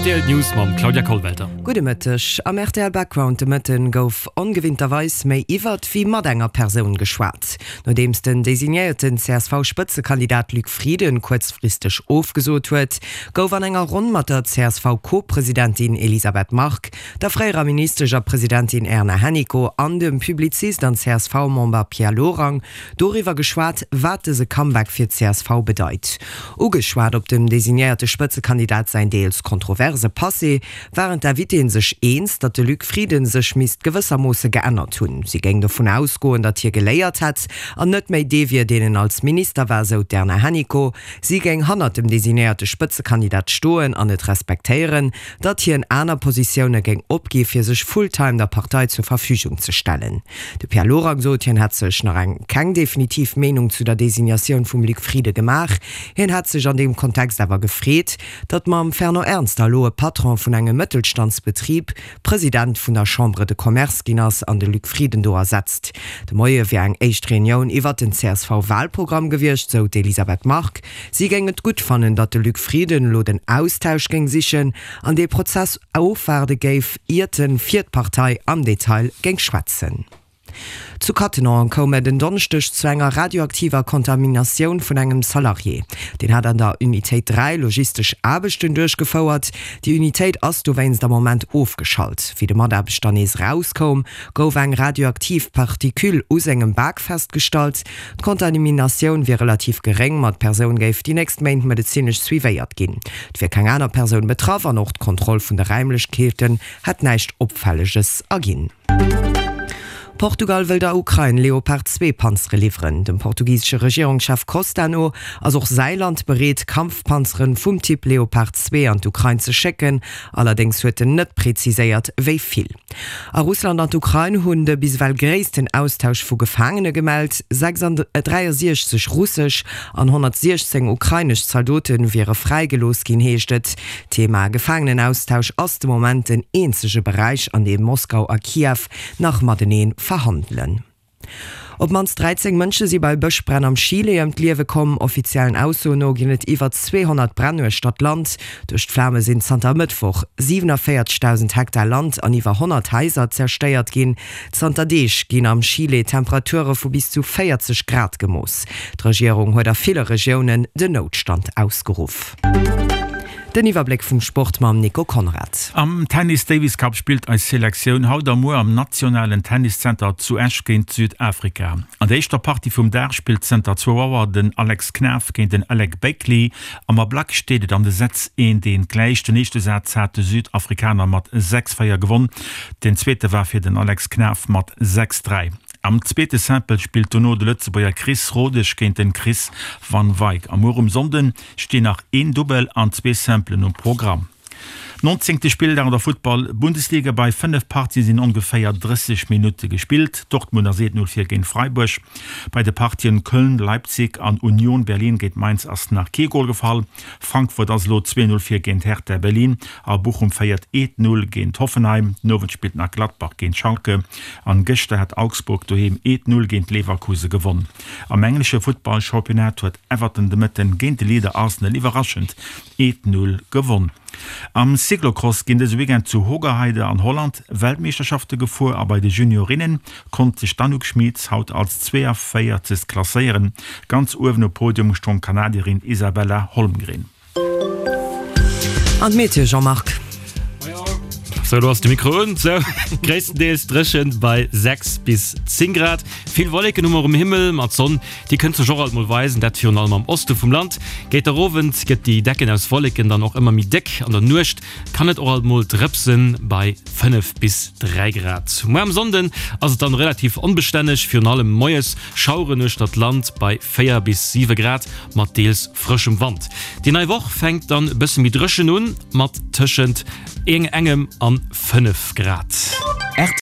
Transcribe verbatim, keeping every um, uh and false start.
Rtl News mam Claudia Kollwelter. Gudde Mëtteg. Am rtl Background de Mëtten gouf ongewinnterweis méi iwwert wéi mat enger Persoun geschwat. Nodeems den designéierten C S V-Spëtzekandidat Luc Frieden kuerzfristeg ofgesot huet, gouf an enger Ronn mat der C S V-Co-Presidentin Elisabeth Margue, der fréierer Ministesch a Presidentin Erna Hennicot an dem Publizist an C S V-Member Pierre Lorang doriwwer geschwat, wat dëse Comeback fir d'C S V bedeit. Ugeschwat op dem designéierte Spëtzekandidat säin deels kontroverse Passé, waren d'Invitéen sech eens, datt de Luc Frieden sech misst gewëssermoosse geännert hunn. Si géing dovun ausgoen, datt hie geléiert hätt an net méi dee wier, deen en als Minister war, sou d'Erna Hennicot. Si géing hannert dem designéierte Spëtzekandidat stoen an et respektéieren, datt hien aner Positioune géing opgi fir sech fulltime der Partei zur Verfügung ze stellen. De Pierre Lorang sot, hien hätt sech nach eng keng definitiv Meenung zu der Designatioun vum Luc Frieden gemaach. Hien hätt sech an deem Kontext awer gefreet, datt mam Fernand Ernster elo e Patron vun engem Mëttelstandsbetrib President vun der Chambre de Commerce ginn ass an de Luc Frieden do ersetzt. De Moie wier eng éischt Reunioun iwwer den C S V-Walprogramm gewiescht, sou d'Elisabeth Margue. Si géing et gutt fannen, datt de Luc Frieden elo den Austausch géing sichen an dee Prozess ofwaarde géif, iert en fir d'Partei am Detail géing schwätzen. Zu Cattenom koum et en Donneschdeg zu enger radioaktiver Kontaminatioun vun engem Salarié. Deen hat an der Unitéit dräi logistesch Aarbechten duerchgefouert. Déi Unitéit ass dowéinst am Moment ofgeschalt. Wéi de Mataarbechter nees erauskoum, gouf eng radioaktiv Partikül u sengem Bak festgestallt. D'Kontaminatioun wier relativ geréng, ma d'Persoun géif déi nächst Méint medezinesch suivéiert ginn. Et wier keng aner Persoun betraff an och d'Kontroll vun de Raimlechkeeten hätt näischt Opfälleges erginn. Portugal wëll der Ukrain Leopard zwee Panzere liwweren. Dem portugisesche Regierungschef Costa no ass och säi Land bereet, Kampfpanzere vum Typ Leopard zwee an d'Ukrain ze schécken. Allerdéngs huet en net präziséiert, wéi vill. A Russland an d'Ukrain hunn de bis ewell gréissten Austausch vu Gefaangene gemellt. dräiasiechzeg russesch an honnertsiechzéng ukrainesch Zaldote wiere fräigelooss ginn, heescht et. D'Thema Gefaangenenaustausch ass de Moment den eenzege Beräich, an deem Moskau a Kiew nach matenee verhandelen. Op d'mannst dräizéng Mënsche si bei Bëschbränn am Chile ëm d'Liewe komm. Offiziellen Aussoen no ginn et iwwer zweehonnert Bränn uechter d'Land. Duerch d'Flame sinn zanter Mëttwoch siewenundvierzigtausend Hektar Land an iwwer honnert Haiser zerstéiert ginn. Zanter Deeg ginn am Chile Temperature vu bis zu véierzeg Grad gemooss. D'Regierung huet a ville Regiounen den Noutstand ausgeruff. Den Iwwerbléck vum Sport mam Nico Conrad. Am Tennis Davis Cup spillt eis Selektioun haut a muer am nationalen Tenniszenter zu Esch géint Südafrika. An der éischter Partie vum Dag spillt zënter zwou Auer den Alex Knaff géint den Alec Bakley. Am Ablack steet et an de Sätz eent eent gläich. Den éischte Saz hat de Südafrikaner mat sechs véier gewonn, den zweete war fir den Alex Knaff mat sechs dräi. Am zweete Simple spillt dono de Lëtzebuerger Chris Rodesch géint den Chris van Wyk. A muer um Sonnden stinn nach een Dubbel an zwee Simplen um Programm. Nonzéngte Spilldag an der Futtball-Bundesliga, Bei fënnef Partien sinn ongeféier drësseg Minutte gespillt. Dortmund ass eent Null vir géint Freiburg. Bei de Partien Köln, Leipzig an Union Berlin géint Mainz ass nach kee Gol gefall. Frankfurt ass elo zwee Null vir géint Hertha Berlin a Bochum féiert eent Null géint Hoffenheim. Den Owend spillt nach Gladbach géint Schalke an gëschter hat Augsburg doheem eent Null géint Leverkusen gewonn. Am englesche Futtball-Championnat huet Everton de Mëtten géint de Leader Arsenal iwwerraschend eent Null gewonn. Am Cyclocross ginn dëse Weekend zu Hoogerheide an Holland Weltmeeschterschafte gefuer a bei de Juniorinne konnt sech d'Anouk Schmitz haut als zweeënvéierzegst klasséieren. Ganz uewen um Podium stoung d'Kanadierin Isabella Holmgren. An d'Meteo, Jean-Marc. Sou, lo ass de Mikro un. Sou, gréisstendeels dréchen bei sechs bis zéng Grad. Vill Wolleken hu mer um Himmel, ma d'Sonn, déi kënnt sech och alt mol weisen, dat virun allem am Oste vum Land. Géint der Owend gëtt déi Decken aus Wolleken dann och ëmmer méi déck. An der Nuecht kann et och alt mol drëpsen bei fënnef bis dräi Grad. Muer am Sonnden ass et dann relativ onbestänneg, virun allem moies Schaueren uechter d'Land bei véier bis siwe Grad mat deels frëschem Wand. Déi nei Woch fänkt dann e bësse méi dréchen un, mat tëschent engem an fënnef Grad.